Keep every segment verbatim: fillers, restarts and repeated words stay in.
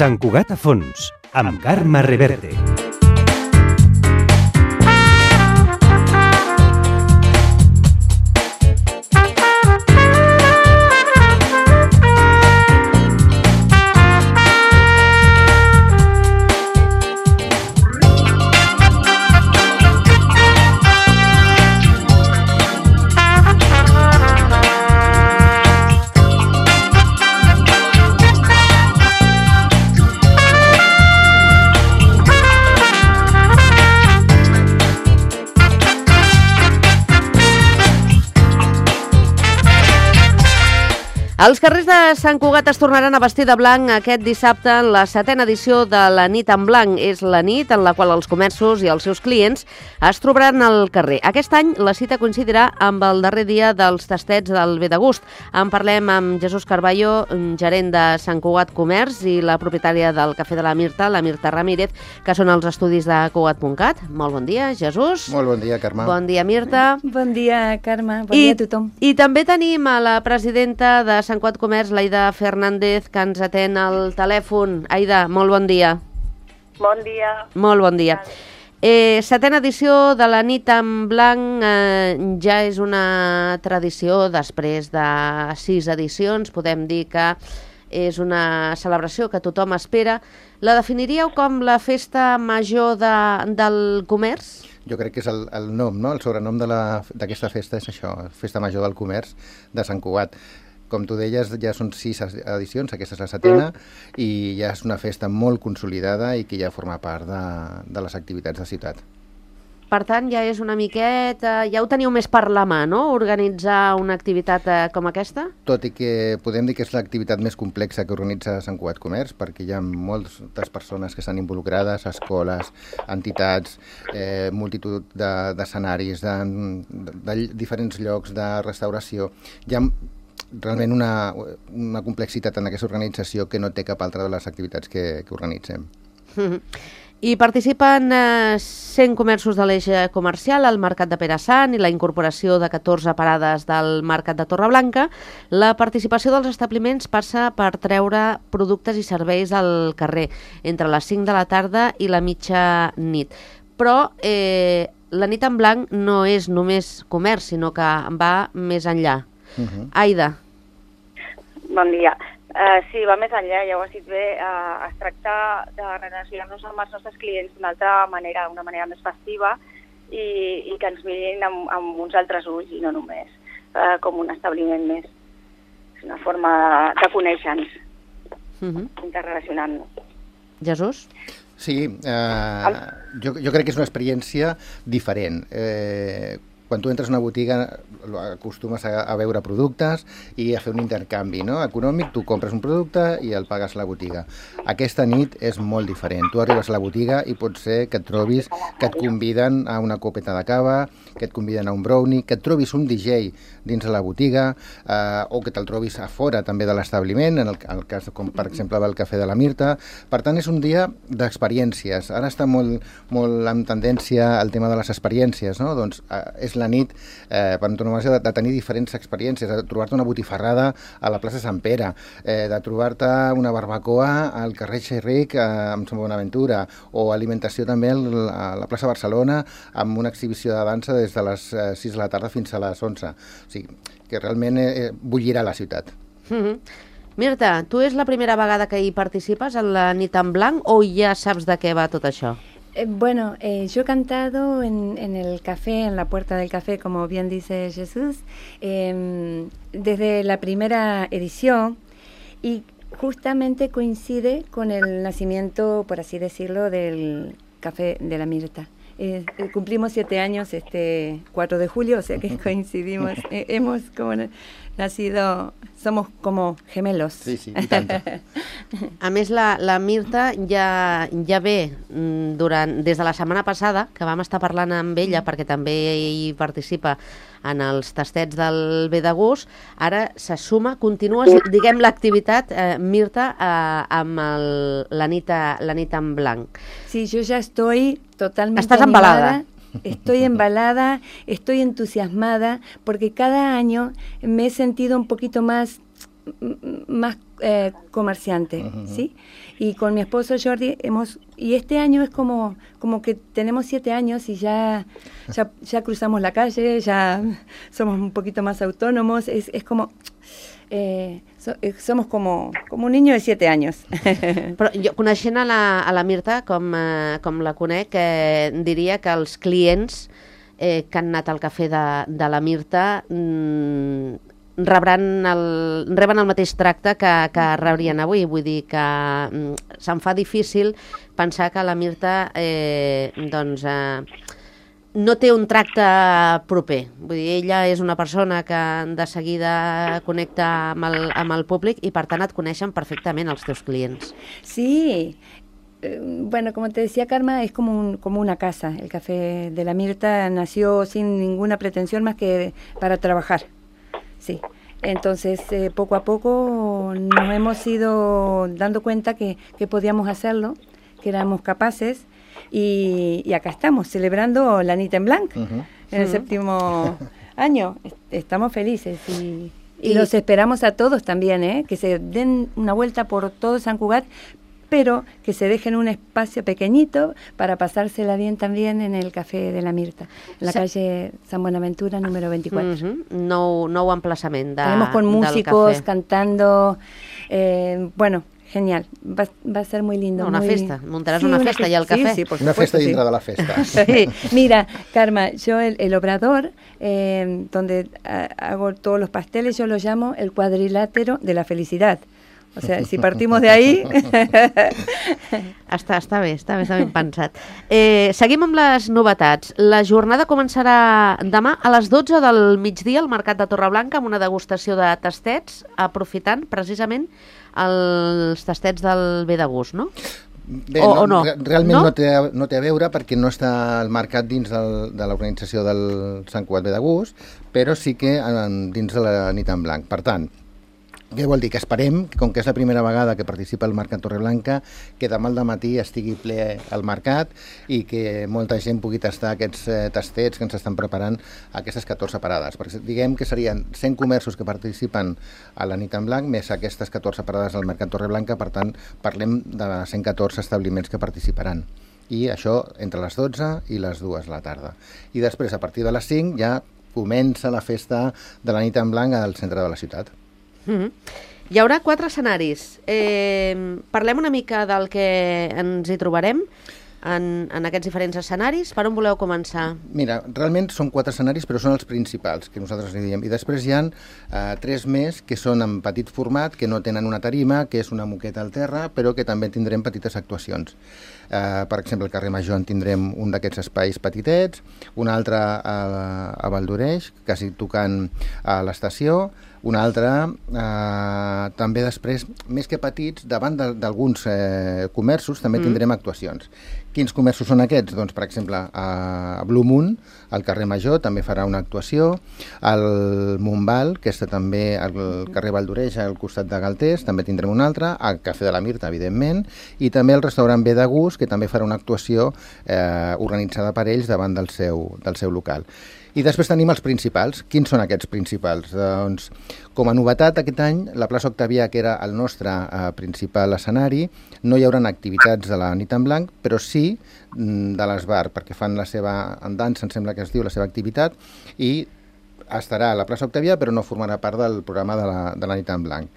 Sant Cugat a fons, amb Carme Reverte. Els carrers de Sant Cugat es tornaran a vestir de blanc aquest dissabte en la setena edició de la Nit en Blanc. És la nit en la qual els comerços i els seus clients es trobaran al carrer. Aquest any la cita coincidirà amb el darrer dia dels tastets del Ve de Gust. En parlem amb Jesús Carballo, gerent de Sant Cugat Comerç, i la propietària del Cafè de la Mirta, la Mirta Ramírez, que són els estudis de Cugat punt cat. Molt bon dia, Jesús. Molt bon dia, Carme. Bon dia, Mirta. Bon dia, Carme. Bon I, dia a tothom. I també tenim a la presidenta de Sant Cugat Comerç, l'Aida Fernández, que ens atén al telèfon. Aida, molt bon dia. Bon dia. Molt bon dia. Eh, setena edició de la Nit en Blanc, eh, ja és una tradició després de sis edicions. Podem dir que és una celebració que tothom espera. La definiríeu com la festa major de, del comerç? Jo crec que és el, el nom, no? El sobrenom d'aquesta festa és això, Festa Major del Comerç de Sant Cugat. Com tu deies, ja són sis edicions, aquesta és la setena, mm. i ja és una festa molt consolidada i que ja forma part de, de les activitats de ciutat. Per tant, ja és una miqueta... Ja ho teniu més per la mà, no?, organitzar una activitat eh, com aquesta? Tot i que podem dir que és l'activitat més complexa que organitza Sant Cugat Comerç, perquè hi ha moltes persones que estan involucrades, escoles, entitats, eh, multitud d'escenaris, de, de, de diferents llocs de restauració. Hi ha realment una, una complexitat en aquesta organització que no té cap altra de les activitats que, que organitzem. Mm-hmm. I participen eh, cent comerços de l'eix comercial, el Mercat de Pere Sant i la incorporació de catorze parades del Mercat de Torreblanca. La participació dels establiments passa per treure productes i serveis al carrer entre les cinc de la tarda i la mitja nit. Però eh, la Nit en Blanc no és només comerç, sinó que va més enllà. Uh-huh. Aida. Bon dia. Uh, sí, va més enllà, ja ho has dit bé. Uh, es tracta de relacionar-nos amb els nostres clients d'una altra manera, d'una manera més festiva i, i que ens mirin amb, amb uns altres ulls i no només uh, com un establiment més. És una forma de, de conèixer-nos, uh-huh. interrelacionant-nos. Jesús? Sí, eh, jo, jo crec que és una experiència diferent. Eh, quan tu entres a una botiga acostumes a, a veure productes i a fer un intercanvi, no?, econòmic. Tu compres un producte i el pagues a la botiga. Aquesta nit és molt diferent. Tu arribes a la botiga i pot ser que et trobis que et conviden a una copeta de cava, que et conviden a un brownie, que et trobis un D J dins de la botiga, eh, o que te'l trobis a fora també de l'establiment, en el, el cas com per exemple del Cafè de la Mirta. Per tant, és un dia d'experiències. Ara està molt, molt en tendència el tema de les experiències, no? Doncs eh, és la nit eh, per antonomàsia de, de tenir diferents experiències, de trobar-te una botifarrada a la plaça Sant Pere, eh, de trobar-te una barbacoa al carrer Xerric eh, amb Sant Bonaventura, o alimentació també a la plaça Barcelona amb una exhibició de dansa des de les eh, sis de la tarda fins a les onze. O sigui, que realment eh, bullirà la ciutat. Mm-hmm. Mirta, tu és la primera vegada que hi participes en la Nit en Blanc o ja saps de què va tot això? Eh, bueno, eh, yo he cantado en, en el café, en la puerta del café, como bien dice Jesús, eh, desde la primera edición, y justamente coincide con el nacimiento, por así decirlo, del Café de la Mirta. Eh, cumplimos siete años este cuatro de julio, o sea que coincidimos, eh, hemos como nacido, somos como gemelos. Sí, sí, i tant. A més, la, la Mirta ja, ja ve durant, des de la setmana passada, que vam estar parlant amb ella, perquè també hi participa en els tastets del Ve de Gust. Ara se suma, continua, diguem, l'activitat, eh, Mirta, eh, amb el, la, nit a, la nit en blanc. Sí, yo ya estoy totalmente Estás animada. embalada. Estoy embalada, estoy entusiasmada, porque cada año me he sentido un poquito más más eh, comerciante, Uh-huh. ¿sí? Y con mi esposo Jordi hemos, y este año es como, como que tenemos siete años y ya, ya, ya cruzamos la calle, ya somos un poquito más autónomos, es, es como... Eh, so, eh, somos como, como un niño de siete años. Però jo, coneixent a la, a la Mirta, com, eh, com la conec, eh, diria que els clients eh, que han anat al cafè de, de la Mirta mm, rebran el, reben el mateix tracte que, que rebrien avui. Vull dir que mm, se'm fa difícil pensar que la Mirta eh, doncs, eh, no té un tracte proper. Vull dir, ella és una persona que de seguida connecta amb el, amb el públic i per tant et coneixen perfectament els teus clients. Sí, eh, bueno, como te decía Karma, es como, un, como una casa. El café de la Mirta nació sin ninguna pretensión más que para trabajar. Sí. Entonces, eh, poco a poco nos hemos ido dando cuenta que, que podíamos hacerlo, que éramos capaces. Y, y acá estamos, celebrando la Nit en Blanc, Uh-huh. en el Uh-huh. séptimo año. Estamos felices y, y los esperamos a todos también, ¿eh? Que se den una vuelta por todo San Cugat, pero que se dejen un espacio pequeñito para pasársela bien también en el Café de la Mirta, en la Sa- calle San Buenaventura, número veinticuatro. Uh-huh. Nou, nou emplaçament de, Tenemos con del músicos cafè. cantando, eh, bueno... Genial, va, va a ser muy lindo. No, una muy... festa, montarás una festa y al sí, café. sí, por Una supuesto, festa sí. dintre de la festa. Sí, mira, Karma, yo el, el obrador, eh, donde a, hago todos los pasteles, yo lo llamo el cuadrilátero de la felicidad. O sea, si partimos de ahí... Està, està bé, està bé, està ben pensat. Eh, seguim amb les novetats. La jornada començarà demà a les dotze del migdia al Mercat de Torreblanca amb una degustació de tastets, aprofitant precisament els tastets del Ve de Gust, no? Bé, O- no, o no? re- realment No? no, té, a- no té a veure perquè no està el mercat dins del, de l'organització del Sant Cugat Ve de Gust, però sí que en, dins de la Nit en Blanc. Per tant, què vol dir? Que esperem, com que és la primera vegada que participa el Mercat Torreblanca, que demà al matí estigui ple al mercat i que molta gent pugui tastar aquests eh, tastets que ens estan preparant a aquestes catorze parades. Perquè diguem que serien cent comerços que participen a la Nit en Blanc, més aquestes catorze parades al Mercat Torreblanca, per tant, parlem de cent catorze establiments que participaran. I això entre les dotze i les dues de la tarda. I després, a partir de les cinc, ja comença la festa de la Nit en Blanc al centre de la ciutat. Mm-hmm. Hi haurà quatre escenaris. Eh, parlem una mica del que ens hi trobarem en, en aquests diferents escenaris. Per on voleu començar? Mira, realment són quatre escenaris, però són els principals, que nosaltres li diem. I després hi ha eh, tres més que són en petit format, que no tenen una tarima, que és una moqueta al terra, però que també tindrem petites actuacions. Eh, per exemple, al carrer Major en tindrem un d'aquests espais petitets, un altre a, a Valdoreix, quasi tocant a l'estació, un altre eh, també després, més que petits, davant d'alguns eh, comerços també tindrem actuacions. Quins comerços són aquests? Doncs, per exemple, a Blue Moon, al carrer Major, també farà una actuació. Al Montbal, que està també al carrer Valdoreix, al costat de Galtés, també tindrem un altre. Al Cafè de la Mirta, evidentment. I també el restaurant Ve de Gust, que també farà una actuació eh, organitzada per ells davant del seu, del seu local. I després tenim els principals. Quins són aquests principals? Doncs, com a novetat aquest any, la plaça Octavià, que era el nostre eh, principal escenari, no hi haurà activitats de la Nit en Blanc, però sí mm, de l'esbar, perquè fan la seva en dansa, em sembla que es diu, la seva activitat, i estarà a la plaça Octavià, però no formarà part del programa de la, de la Nit en Blanc.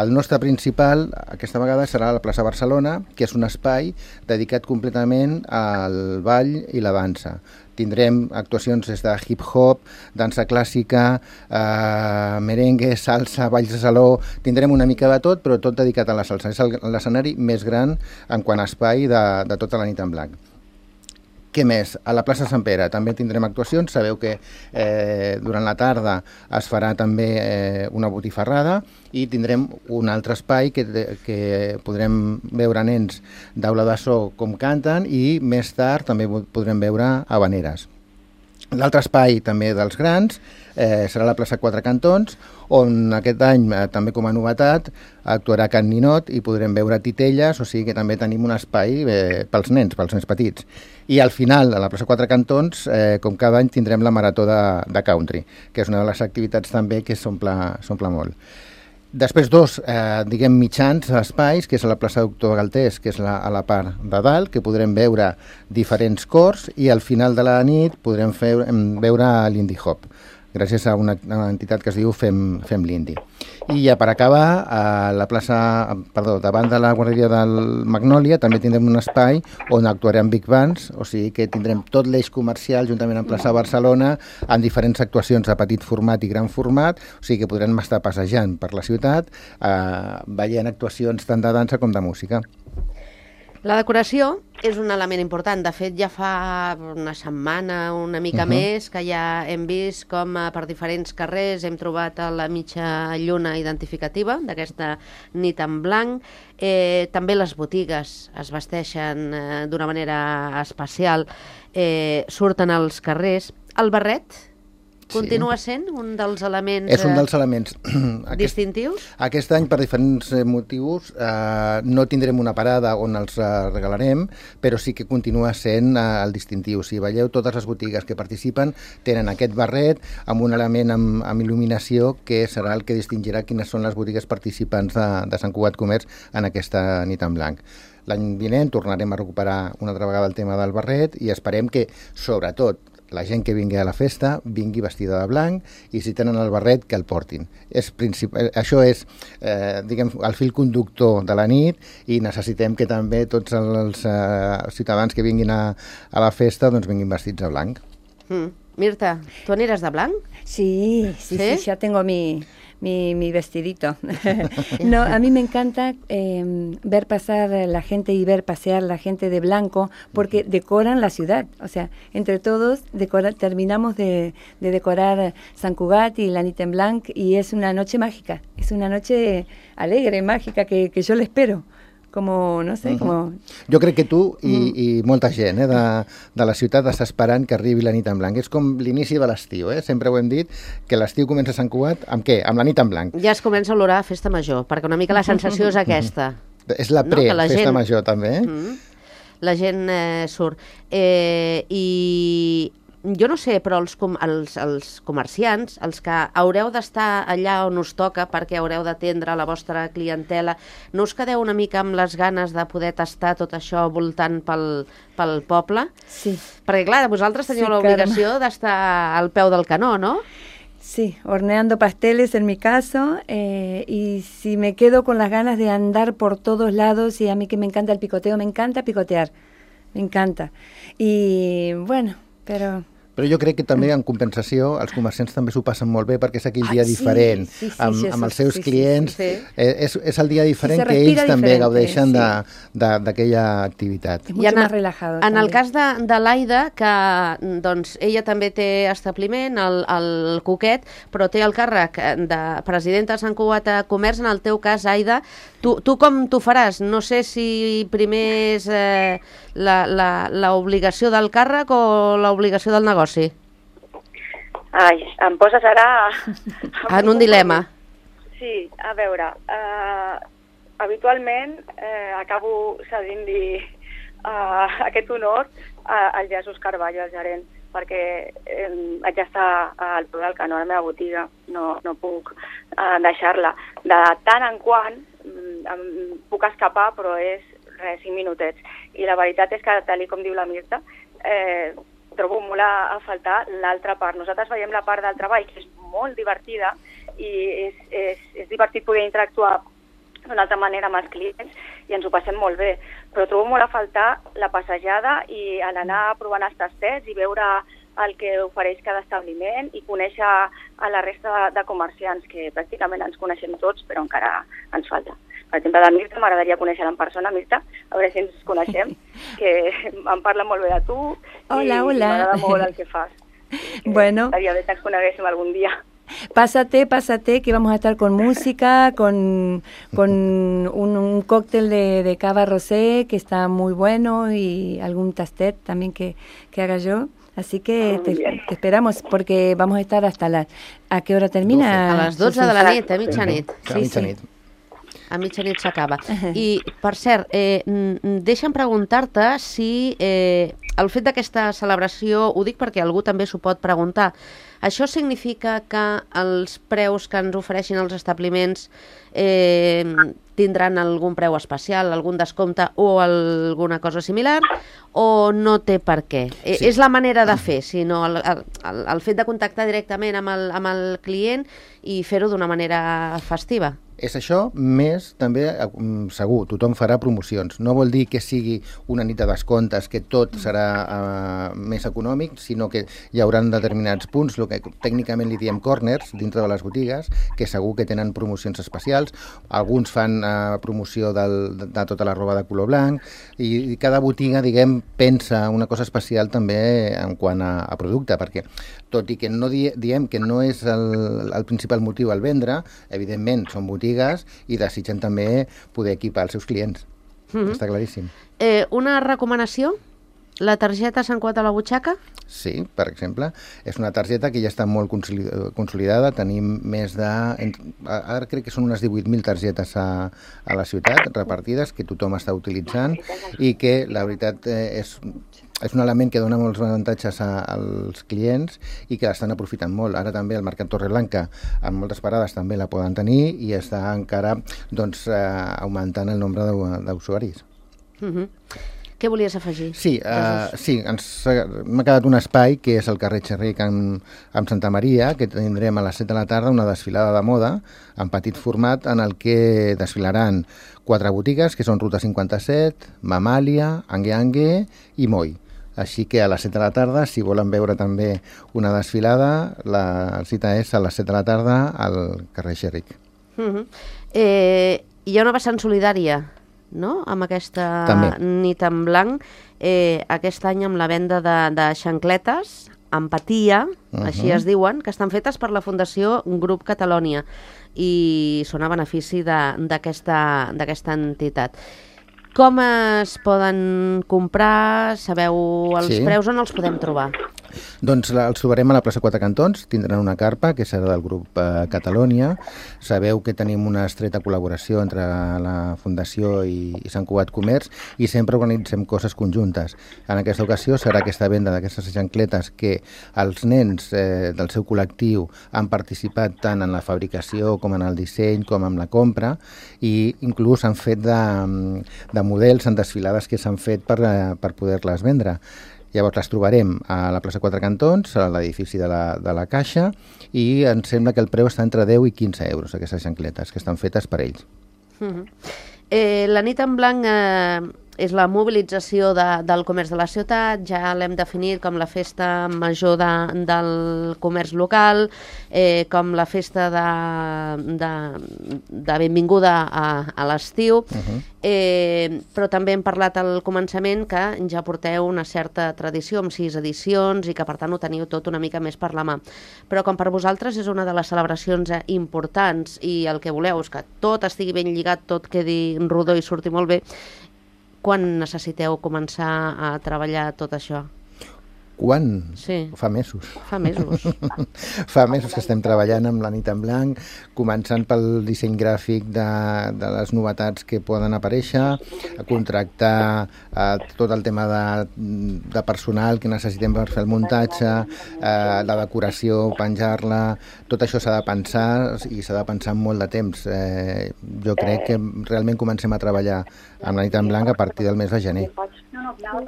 El nostre principal, aquesta vegada, serà a la plaça Barcelona, que és un espai dedicat completament al ball i la dansa. Tindrem actuacions des de hip-hop, dansa clàssica, eh, merengue, salsa, balls de saló... Tindrem una mica de tot, però tot dedicat a la salsa. És l'escenari més gran en quant a espai de, de tota la Nit en Blanc. Què més? A la plaça Sant Pere també tindrem actuacions. Sabeu que eh, durant la tarda es farà també eh, una botifarrada i tindrem un altre espai que, que podrem veure nens d'aula de so com canten i més tard també podrem veure habaneres. L'altre espai també dels grans eh, serà la plaça Quatre Cantons, on aquest any, eh, també com a novetat, actuarà Can Ninot i podrem veure titelles, o sigui que també tenim un espai eh, pels nens, pels nens petits. I al final, a la plaça Quatre Cantons, eh, com cada any, tindrem la marató de, de country, que és una de les activitats també que s'omple s'omple molt. Després dos, eh, diguem, mitjans espais, que és a la plaça Doctor Galtés, que és la, a la part de dalt, que podrem veure diferents cors, i al final de la nit podrem fer, veure l'Indie Hop, gràcies a una, una entitat que es diu Fem, Fem l'Indie. I ja per acabar, a la plaça, perdó, davant de la guarderia del Magnòlia també tindrem un espai on actuarem Big Bands, o sigui que tindrem tot l'eix comercial juntament amb plaça Barcelona en diferents actuacions de petit format i gran format, o sigui que podrem estar passejant per la ciutat eh, veient actuacions tant de dansa com de música. La decoració és un element important. De fet, ja fa una setmana, una mica uh-huh. més, que ja hem vist com per diferents carrers hem trobat la mitja lluna identificativa d'aquesta nit en blanc. Eh, també les botigues es vesteixen eh, d'una manera especial, eh, surten als carrers. El barret continua sent un dels elements, és un dels elements aquest, distintius? Aquest any, per diferents motius, eh, no tindrem una parada on els eh, regalarem, però sí que continua sent eh, el distintiu. Si veieu, totes les botigues que participen tenen aquest barret amb un element amb, amb il·luminació que serà el que distingirà quines són les botigues participants de, de Sant Cugat Comerç en aquesta nit en blanc. L'any vinent tornarem a recuperar una altra vegada el tema del barret i esperem que, sobretot, la gent que vingui a la festa vingui vestida de blanc i si tenen el barret que el portin. És princip... Això és eh, diguem, el fil conductor de la nit i necessitem que també tots els eh, ciutadans que vinguin a, a la festa doncs vinguin vestits de blanc. Mm. Mirta, ¿tú aniràs de blanc? Sí, sí, sí, sí, ya tengo mi... Mi, mi vestidito. No, a mí me encanta eh, ver pasar la gente y ver pasear la gente de blanco porque decoran la ciudad. O sea, entre todos decora, terminamos de, de decorar Sant Cugat y la nit en blanc y es una noche mágica. Es una noche alegre, mágica, que, que yo le espero. Como, no sé, uh-huh. como... Jo crec que tu i, uh-huh. i molta gent eh, de, de la ciutat està esperant que arribi la nit en blanc. És com l'inici de l'estiu, eh? Sempre ho hem dit, que l'estiu comença a Sant Cugat amb què? Amb la nit en blanc. Ja es comença a olorar a festa major, perquè una mica la sensació és aquesta. Uh-huh. És la pre-festa no, major, també. Eh? Uh-huh. La gent eh, surt. Eh, I... Jo no sé, però els, com, els, els comerciants, els que haureu d'estar allà on us toca perquè haureu d'atendre la vostra clientela, no us quedeu una mica amb les ganes de poder tastar tot això voltant pel, pel poble? Sí. Perquè, clar, vosaltres teniu sí, l'obligació d'estar al peu del canó, ¿no? Sí, horneando pasteles en mi caso, eh, y si me quedo con las ganas de andar por todos lados, y a mí que me encanta el picoteo, me encanta picotear, me encanta. Y bueno, però... Però jo crec que també en compensació els comerciants també s'ho passen molt bé perquè és aquell dia ah, sí, diferent sí, sí, amb, amb els seus sí, clients. Sí, sí. Eh, és, és el dia diferent sí, que ells també gaudeixen sí. d'aquella activitat. És molt més relajado. En també. El cas de, de l'Aida, que doncs, ella també té establiment, el, el Coquet, però té el càrrec de presidenta de Sant Cugat Comerç. En el teu cas, Aida, tu, tu com t'ho faràs? No sé si primer és eh, l'obligació del càrrec o l'obligació del negoci. Ai, em poses ara... En un dilema. Sí, a veure, uh, habitualment uh, acabo cedint-li uh, aquest honor uh, al Jesús Carballo, al gerent, perquè um, haig d'estar al peu del canó a la meva botiga, no, no puc uh, deixar-la. De tant en quant um, em puc escapar, però és res, cinc minutets. I la veritat és que, tal com diu la Mirta, eh, trobo molt a, a faltar l'altra part. Nosaltres veiem la part del treball, que és molt divertida, i és, és, és divertit poder interactuar d'una altra manera amb els clients, i ens ho passem molt bé. Però trobo molt a faltar la passejada i l'anar provant els tastets i veure el que ofereix cada establiment i conèixer a la resta de, de comerciants, que pràcticament ens coneixem tots, però encara ens falta. Per exemple, de Mirta, m'agradaria conèixer en persona, Mirta, a veure si ens coneixem, que em parla molt bé de tu hola, i hola. m'agrada molt el que fas. Bueno. Estaria bé que ens coneguéssim algun dia. Pásate, pásate, que vamos a estar con música, con, con un, un cóctel de, de cava rosé que está muy bueno y algún tastet también que, que haga yo. Así que te, te esperamos porque vamos a estar hasta la... ¿A qué hora termina? A las dotze de la nit, a mitjanit. Sí, sí. a mitjanit s'acaba. I, per cert, eh, deixa'm preguntar-te si eh, el fet d'aquesta celebració, ho dic perquè algú també s'ho pot preguntar, això significa que els preus que ens ofereixin els establiments eh, tindran algun preu especial, algun descompte o alguna cosa similar, o no té per què? Sí. És la manera de fer, sinó el, el, el fet de contactar directament amb el, amb el client i fer-ho d'una manera festiva. És això, més també, segur, tothom farà promocions. No vol dir que sigui una nit de descomptes, que tot serà uh, més econòmic, sinó que hi haurà determinats punts, el que tècnicament li diem corners, dintre de les botigues, que segur que tenen promocions especials. Alguns fan uh, promoció del, de, de tota la roba de color blanc, i, i cada botiga, diguem, pensa una cosa especial també en quant a, a producte, perquè tot i que no di, diem que no és el, el principal motiu al vendre, evidentment són botigues i desitgen també poder equipar els seus clients. Mm-hmm. Està claríssim. Eh, una recomanació? La targeta Sant Cugat a la butxaca? Sí, per exemple. És una targeta que ja està molt consolidada. Tenim més de... Ara crec que són unes divuit mil targetes a, a la ciutat, repartides, que tothom està utilitzant i que, la veritat, és... és un element que dona molts avantatges a, als clients i que l'estan aprofitant molt. Ara també el Mercat Torreblanca, amb moltes parades, també la poden tenir i està encara doncs, eh, augmentant el nombre d'usuaris. Mm-hmm. Què volies afegir? Sí, uh, sí ens, m'ha quedat un espai que és el carrer Xerric amb, amb Santa Maria, que tindrem a les set de la tarda una desfilada de moda en petit format en el que desfilaran quatre botigues, que són Ruta cinquanta-set, Mamàlia, Angue Angue i Moi. Així que a les set de la tarda, si volen veure també una desfilada, la cita és a les set de la tarda al carrer Xerric. Mm-hmm. eh, hi ha una vessant solidària, no?, amb aquesta també. Nit en blanc, eh, aquest any amb la venda de, de xancletes, Empatia, uh-huh. així es diuen, que estan fetes per la Fundació Grup Catalònia i són a benefici d'aquesta entitat. Com es poden comprar? Sabeu els sí. preus? On els podem trobar? Doncs els trobarem a la plaça Quatre Cantons, tindran una carpa que serà del grup eh, Catalònia. Sabeu que tenim una estreta col·laboració entre la Fundació i, i Sant Cugat Comerç i sempre organitzem coses conjuntes. En aquesta ocasió serà aquesta venda d'aquestes xancletes que els nens eh, del seu col·lectiu han participat tant en la fabricació com en el disseny com en la compra i inclús han fet de, de models en desfilades que s'han fet per, per poder-les vendre. Llavors les trobarem a la plaça Quatre Cantons, a l'edifici de, la, de la Caixa, i em sembla que el preu està entre deu i quinze euros, aquestes xancletes, que estan fetes per ells. Mm-hmm. eh, la nit en blanc eh, és la mobilització de, del comerç de la ciutat, ja l'hem definit com la festa major de, del comerç local, eh, com la festa de, de, de benvinguda a, a l'estiu, uh-huh. eh, però també hem parlat al començament que ja porteu una certa tradició amb sis edicions i que per tant ho teniu tot una mica més per la mà. Però com per vosaltres és una de les celebracions importants i el que voleu és que tot estigui ben lligat, tot quedi rodó i surti molt bé, quan necessiteu començar a treballar tot això? Quan? Sí. Fa mesos. Fa mesos. Fa mesos que estem treballant amb la nit en blanc, començant pel disseny gràfic de, de les novetats que poden aparèixer, a contractar eh, tot el tema de, de personal que necessitem per fer el muntatge, eh, la decoració, penjar-la, tot això s'ha de pensar i s'ha de pensar en molt de temps. Eh, jo crec que realment comencem a treballar amb la nit en blanc a partir del mes de gener.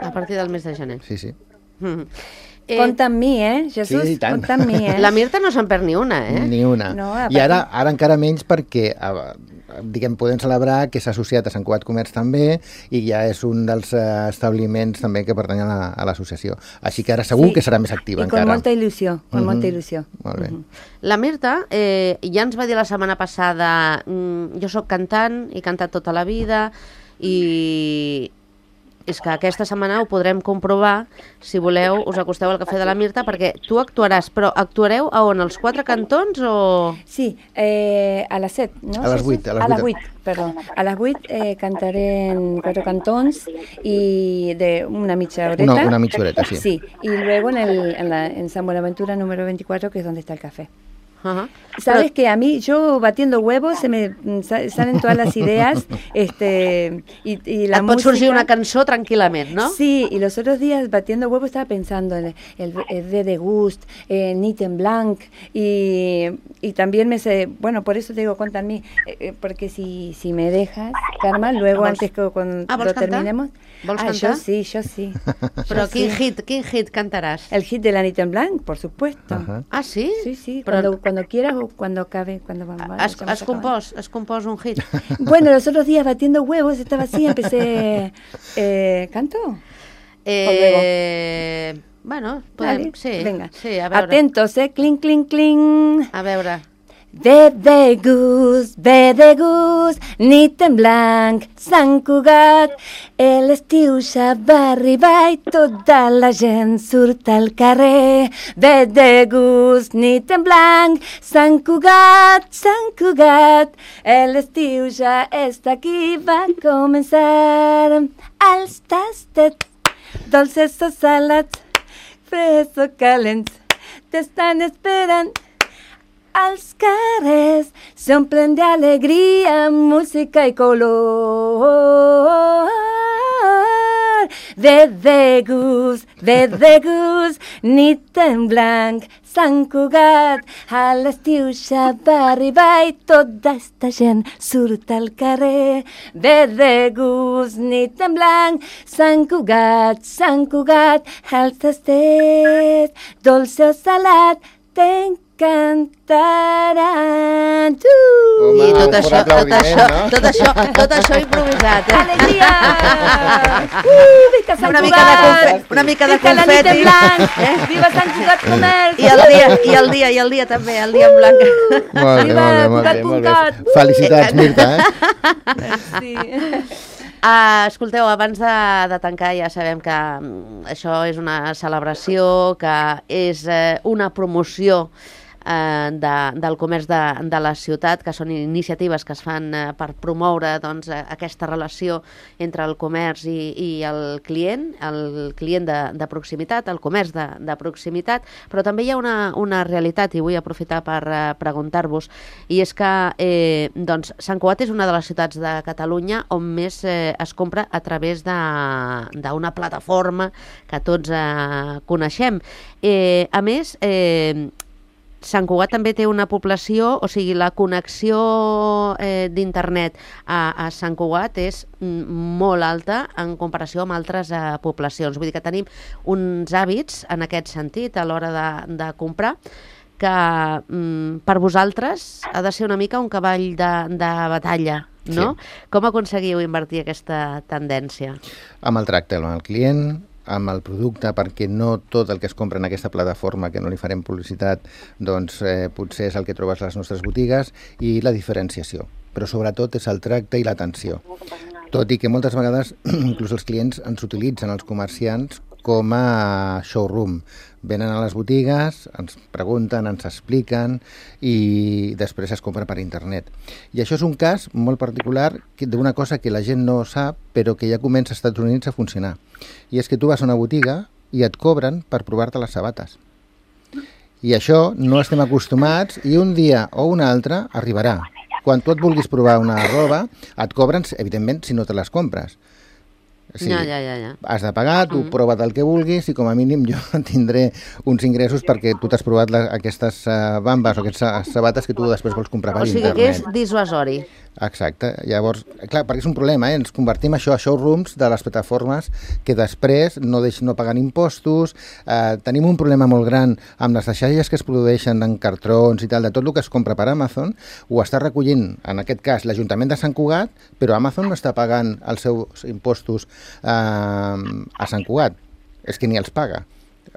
A partir del mes de gener. Sí, sí. Mm. Eh, compta amb mi, eh, Jesús? Sí, tant. Compta amb mi, eh? La Mirta no se'n perd ni una, eh? Ni una. No, I ara, ara encara menys perquè diguem, podem celebrar que s'ha associat a Sant Cugat Comerç també i ja és un dels establiments també que pertany a l'associació. Així que ara segur sí, que serà més activa i encara. I con molta il·lusió, con uh-huh. molta il·lusió. Molt bé. Uh-huh. La Mirta eh, ja ens va dir la setmana passada mm, jo sóc cantant, he cantat tota la vida i... és que aquesta setmana ho podrem comprovar, si voleu, us acosteu al Cafè de la Mirta, perquè tu actuaràs, però actuareu a on, als Quatre Cantons o...? Sí, eh, a les set, no? A les vuit. A les vuit, perdó. A les vuit eh, cantaré en Quatre Cantons y de una mitja horeta. Una, una mitja horeta, sí. Sí, y luego en, el, en, la, en San Buenaventura número veinticuatro, que es donde está el café. Uh-huh. Sabes Però... que a mí, yo batiendo huevos, se me salen todas las ideas, este, y, y la Et pot música... sorgir una cançó tranquil·lament, no? Sí, y los otros días batiendo huevos estaba pensando en el, el V de Gust, en Nit en Blanc, y, y también me sé, bueno, por eso te digo, cuenta en mí, eh, porque si, si me dejas, Carme, luego vols... antes que cuando ah, lo cantar? terminemos... Vols ah, cantar? yo sí, yo sí. Però yo quin sí. hit, quin hit cantaràs? El hit de la Nit en Blanc, por supuesto. Ajá. Ah, sí? Sí, sí, Però... cuando, cuando quieras o cuando acabe, cuando vamos. Has, has, compós, has compós un hit? Bueno, los otros días batiendo huevos estaba así, empecé... Eh, ¿Canto? Eh... Bueno, podem... Vale, sí. venga. Sí, a veure. Atentos, eh, clink, clink, clink. A veure. Ve de gust, ve de gust, nit en blanc, Sant Cugat. L'estiu ja va arribar i tota la gent surt al carrer. Ve de gust, nit en blanc, Sant Cugat, Sant Cugat. L'estiu ja està aquí, va començar. Els tastet, dolces o salats, freds o calents, t'estan esperant. Els carrers s'omplen d'alegria, música i color. Ve de gust, ve de gust, nit en blanc, Sant Cugat. A l'estiu ja va arribar i tota esta gent surt al carrer. Ve de gust, nit en blanc, Sant Cugat, Sant Cugat. Els tastets, dolce o salat, t'encantaran. Home, I tot un això, fort tot aplaudiment, això, no? tot això, tot això improvisat, eh? Alegria! Uh, Visca Sant Una mica de Cugat! confeti, una mica de Visca la nit en confeti. blanc! Viva Sant Cugat Comerç! I el dia, i el dia, i el dia també, el dia en blanc. Molt bé, Viva molt bé, molt bé, molt bé. Cugat. Felicitats, Mirta, eh? Sí. Uh, escolteu, abans de, de tancar ja sabem que um, això és una celebració, que és uh, una promoció eh, de, del comerç de, de la ciutat, que són iniciatives que es fan eh, per promoure doncs, eh, aquesta relació entre el comerç i, i el client, el client de, de proximitat, el comerç de, de proximitat, però també hi ha una, una realitat, i vull aprofitar per eh, preguntar-vos, i és que eh, doncs, Sant Cugat és una de les ciutats de Catalunya on més eh, es compra a través d'una plataforma que tots eh, coneixem. Eh, a més, eh, Sant Cugat també té una població, o sigui, la connexió eh, d'internet a, a Sant Cugat és molt alta en comparació amb altres eh, poblacions. Vull dir que tenim uns hàbits en aquest sentit a l'hora de, de comprar que mm, per vosaltres ha de ser una mica un cavall de, de batalla, no? Sí. Com aconseguiu invertir aquesta tendència? Amb el tracte amb el client, amb el producte, perquè no tot el que es compra en aquesta plataforma, que no li farem publicitat, doncs eh, potser és el que trobes a les nostres botigues, i la diferenciació. Però sobretot és el tracte i l'atenció. Tot i que moltes vegades inclús els clients ens utilitzen, els comerciants, com a showroom. Venen a les botigues, ens pregunten, ens expliquen i després es compra per internet. I això és un cas molt particular d'una cosa que la gent no sap, però que ja comença als Estats Units a funcionar. I és que tu vas a una botiga i et cobren per provar-te les sabates. I això no estem acostumats i un dia o un altre arribarà. Quan tu et vulguis provar una roba, et cobren, evidentment, si no te les compres. Sí, ja, ja, ja, ja. Has de pagar, tu mm. prova't el que vulguis i com a mínim jo tindré uns ingressos perquè tu t'has provat la, aquestes uh, bambes o aquestes sabates que tu després vols comprar per o sigui internet. que és dissuasori. Exacte. Llavors, clar, perquè és un problema, eh? Ens convertim això a showrooms de les plataformes que després no deixen no pagant impostos. Eh, tenim un problema molt gran amb les deixalles que es produeixen en cartrons i tal, de tot el que es compra per Amazon, ho està recollint, en aquest cas, l'Ajuntament de Sant Cugat, però Amazon no està pagant els seus impostos eh, a Sant Cugat. És que ni els paga.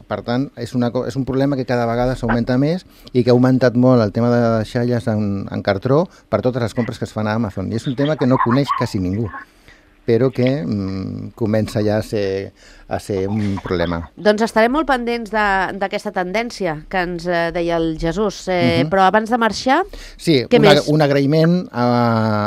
Per tant, és, una, és un problema que cada vegada s'augmenta més i que ha augmentat molt el tema de deixalles en, en cartró per totes les compres que es fan a Amazon. I és un tema que no coneix quasi ningú. però que mm, comença ja a ser, a ser un problema. Doncs estarem molt pendents d'aquesta tendència que ens eh, deia el Jesús, eh, uh-huh. però abans de marxar, sí, què una, més? Un agraïment a,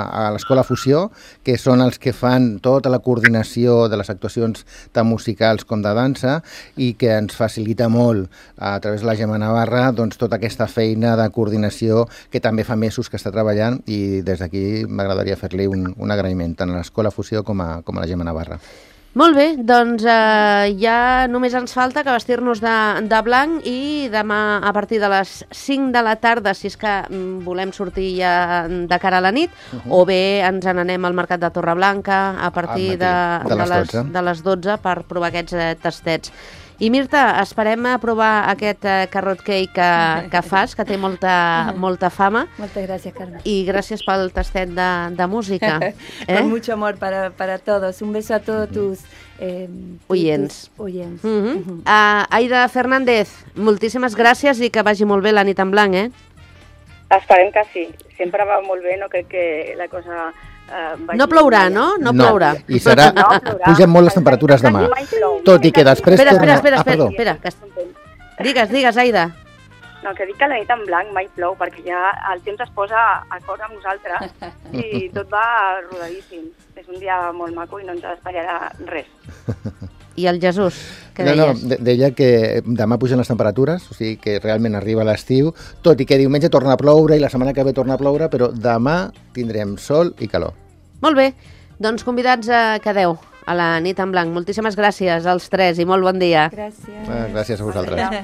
a l'Escola Fusió, que són els que fan tota la coordinació de les actuacions tant musicals com de dansa i que ens facilita molt a través de la Gemma Navarra doncs, tota aquesta feina de coordinació que també fa mesos que està treballant i des d'aquí m'agradaria fer-li un, un agraïment tant a l'Escola Fusió com a, com a la Gemma Navarra. Molt bé, doncs eh, ja només ens falta que vestir-nos de, de blanc i demà a partir de les cinc de la tarda, si és que mm, volem sortir ja de cara a la nit, uh-huh. o bé ens n'anem al Mercat de Torreblanca a partir de, de, de, les les, de les dotze per provar aquests eh, tastets. I Mirta, esperem a provar aquest eh, carrot cake que, que fas, que té molta, molta fama. Muchas gracias, Carmen. I gràcies pel tastet de, de música. Eh? Con mucho amor para, para todos. Un beso a todos tus eh, oyents. Tus oyents. Uh -huh. uh, Aida Fernández, moltíssimes gràcies i que vagi molt bé la nit en blanc, eh? Esperem que sí. Sempre va molt bé, no crec que la cosa... Uh, no plourà, no? No, no plourà. I serà... No, pugen molt les temperatures demà. Tot i que després... Espera, espera, espera, ah, espera, espera que... Digues, digues, Aida. No, que dic que la nit en blanc mai plou, perquè ja el temps es posa acord amb nosaltres i tot va rodadíssim. És un dia molt maco i no ens espatllarà res. I el Jesús, què no, deies? No, deia que demà pugen les temperatures, o sigui que realment arriba l'estiu, tot i que diumenge torna a ploure i la setmana que ve torna a ploure, però demà tindrem sol i calor. Molt bé, doncs convidats a quedeu a la nit en blanc. Moltíssimes gràcies als tres i molt bon dia. Gràcies. Gràcies a vosaltres.